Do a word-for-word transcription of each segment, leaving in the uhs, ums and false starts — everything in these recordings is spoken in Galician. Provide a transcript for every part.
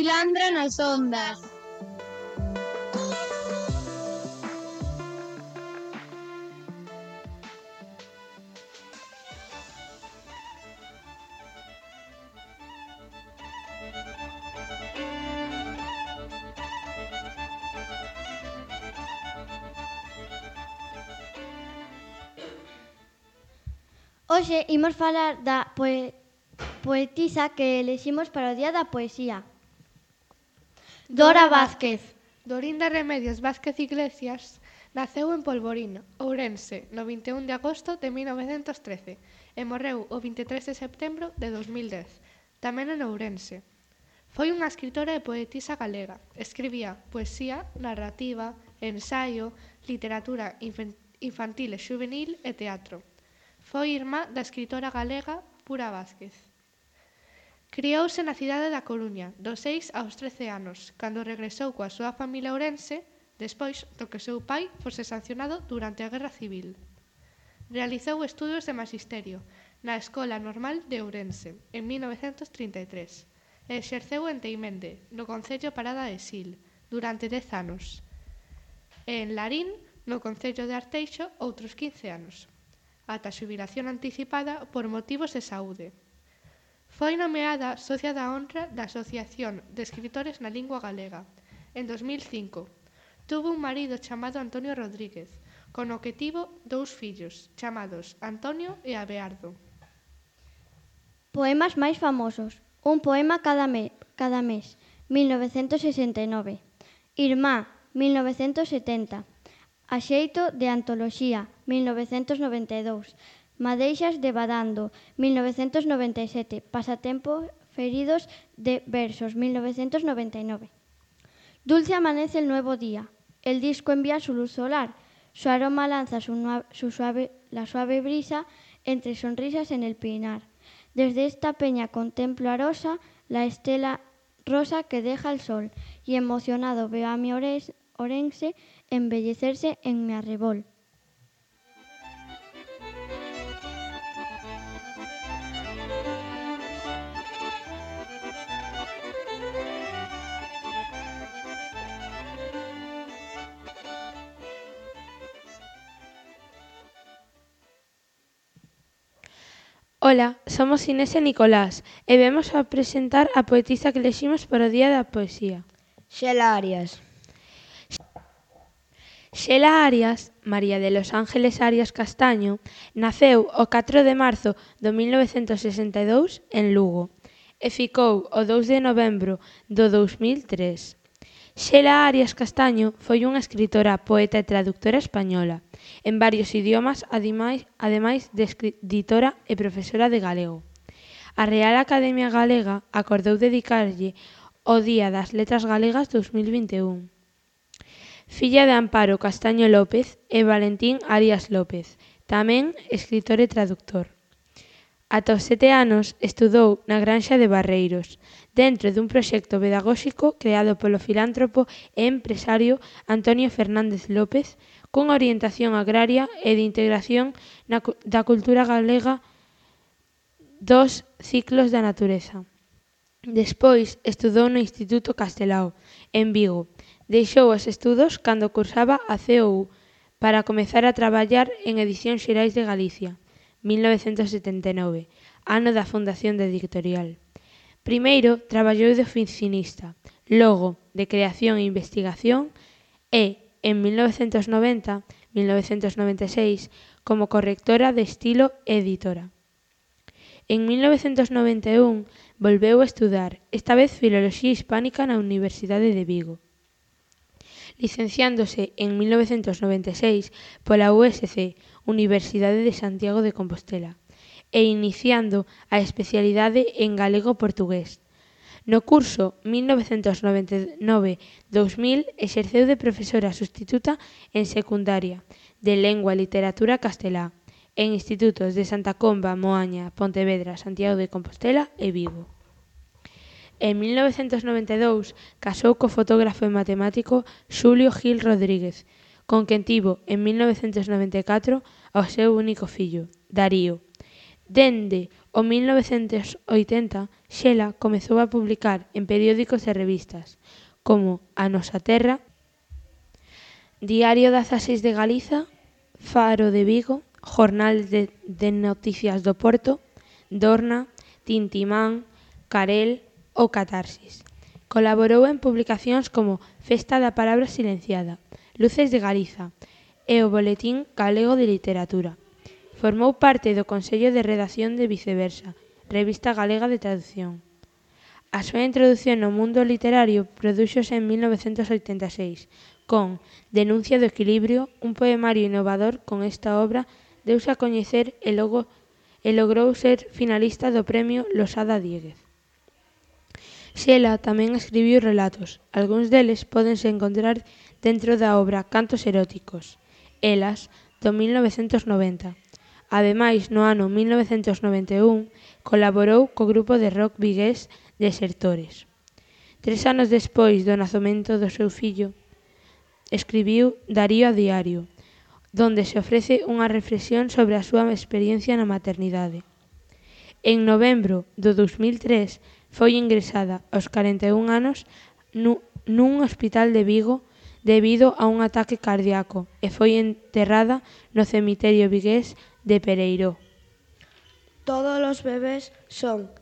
Filandra nas ondas. Hoxe imos falar da poe poetisa que eleximos para o Día da Poesía. Dora Vázquez. Dorinda Remedios Vázquez Iglesias naceu en Polvorín, Ourense, no vinte e un de agosto de mil novecentos trece e morreu o vinte e tres de setembro de dos mil dez, tamén en Ourense. Foi unha escritora e poetisa galega. Escribía poesía, narrativa, ensaio, literatura infantil e xuvenil e teatro. Foi irmá da escritora galega Pura Vázquez. Criouse na cidade da Coruña, dos seis aos trece anos, cando regresou coa súa familia a Ourense, despois do que seu pai fose sancionado durante a Guerra Civil. Realizou estudos de magisterio na Escola Normal de Ourense, en mil novecentos trinta e tres, e exerceu en Teimende, no concello Parada de Sil, durante dez anos, e en Larín, no concello de Arteixo, outros quince anos, ata a xubilación anticipada por motivos de saúde. Foi nomeada socia da honra da Asociación de Escritores na Lingua Galega. En dos mil cinco, tuvo un marido chamado Antonio Rodríguez, con o que tivo dous fillos, chamados Antonio e Abeardo. Poemas máis famosos. Un poema cada, me, cada mes, mil novecentos sesenta e nove. Irmá, mil novecentos setenta. A xeito de antoloxía, mil novecentos noventa e dous. Madeixas de Badando, mil novecentos noventa e sete. Pasatempos feridos de versos, mil novecentos noventa e nove. Dulce amanece el nuevo día. El disco envía su luz solar. Su aroma lanza su, su suave, la suave brisa entre sonrisas en el pinar. Desde esta peña contemplo a rosa, la estela rosa que deja el sol, y emocionado veo a mi Ourense embellecerse en mi arrebol. Ola, somos Inés e Nicolás e vemos a presentar a poetisa que eleximos para o Día da Poesía. Xela Arias. Xela Arias, María de los Ángeles Arias Castaño, naceu o catro de marzo do mil novecentos sesenta e dous en Lugo e ficou o dous de novembro do dous mil tres. Xela Arias Castaño foi unha escritora, poeta e traductora española en varios idiomas, ademais, ademais de editora e profesora de galego. A Real Academia Galega acordou dedicarlle o Día das Letras Galegas dous mil vinte e un. Filla de Amparo Castaño López e Valentín Arias López, tamén escritor e traductor. Ata os sete anos estudou na Granxa de Barreiros, dentro dun proxecto pedagóxico creado polo filántropo e empresario Antonio Fernández López, cunha orientación agraria e de integración na, da cultura galega dos ciclos da natureza. Despois estudou no Instituto Castelao, en Vigo. Deixou os estudos cando cursaba a C O U para comezar a traballar en Edicións Xerais de Galicia, mil novecentos setenta e nove, ano da fundación da editorial. Primeiro traballou de oficinista, logo de creación e investigación e, en mil novecentos noventa a mil novecentos noventa e seis, como correctora de estilo e editora. En mil novecentos noventa e un volveu a estudar, esta vez Filoloxía Hispánica na Universidade de Vigo. Licenciándose en mil novecentos noventa e seis pola U S C, Universidade de Santiago de Compostela, e iniciando a especialidade en galego-portugués. No curso mil novecentos noventa e nove a dous mil exerceu de profesora sustituta en secundaria de Lengua e Literatura castelá en institutos de Santa Comba, Moaña, Pontevedra, Santiago de Compostela e Vigo. En mil novecentos noventa e dous casou co fotógrafo e matemático Xulio Gil Rodríguez, con quen tivo en mil novecentos noventa e catro ao seu único fillo, Darío. Dende O mil novecentos oitenta, Xela comezou a publicar en periódicos e revistas, como A Nosa Terra, Diario dezaseis de Galiza, Faro de Vigo, Jornal de, de Noticias do Porto, Dorna, Tintimán, Carel ou Catarsis. Colaborou en publicacións como Festa da Palabra Silenciada, Luces de Galiza e o Boletín Galego de Literatura. Formou parte do Consello de Redacción de Viceversa, revista galega de traducción. A súa introdución no mundo literario prodúxose en mil novecentos oitenta e seis, con Denuncia do Equilibrio, un poemario innovador. Con esta obra deuse a coñecer e, logo, e logrou ser finalista do Premio Losada Diéguez. Xela tamén escribiu relatos, algúns deles pódense encontrar dentro da obra Cantos eróticos, Elas, do mil novecentos noventa. Ademais, no ano mil novecentos noventa e un, colaborou co grupo de rock vigués Desertores. Tres anos despois do nacemento do seu fillo, escribiu Darío a Diario, donde se ofrece unha reflexión sobre a súa experiencia na maternidade. En novembro do dous mil tres foi ingresada aos corenta e un anos nun hospital de Vigo debido a un ataque cardíaco e foi enterrada no cemiterio vigués de Pereiró. Todos os bebés son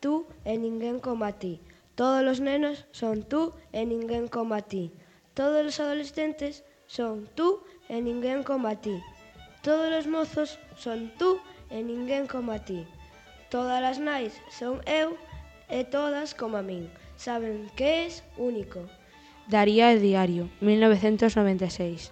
tú e ninguén como a ti. Todos os nenos son tú e ninguén como a ti. Todos os adolescentes son tú e ninguén como a ti. Todos os mozos son tú e ninguén como a ti. Todas as nais son eu e todas como a min. Saben que és único. Darío a Diario, mil novecentos noventa e seis.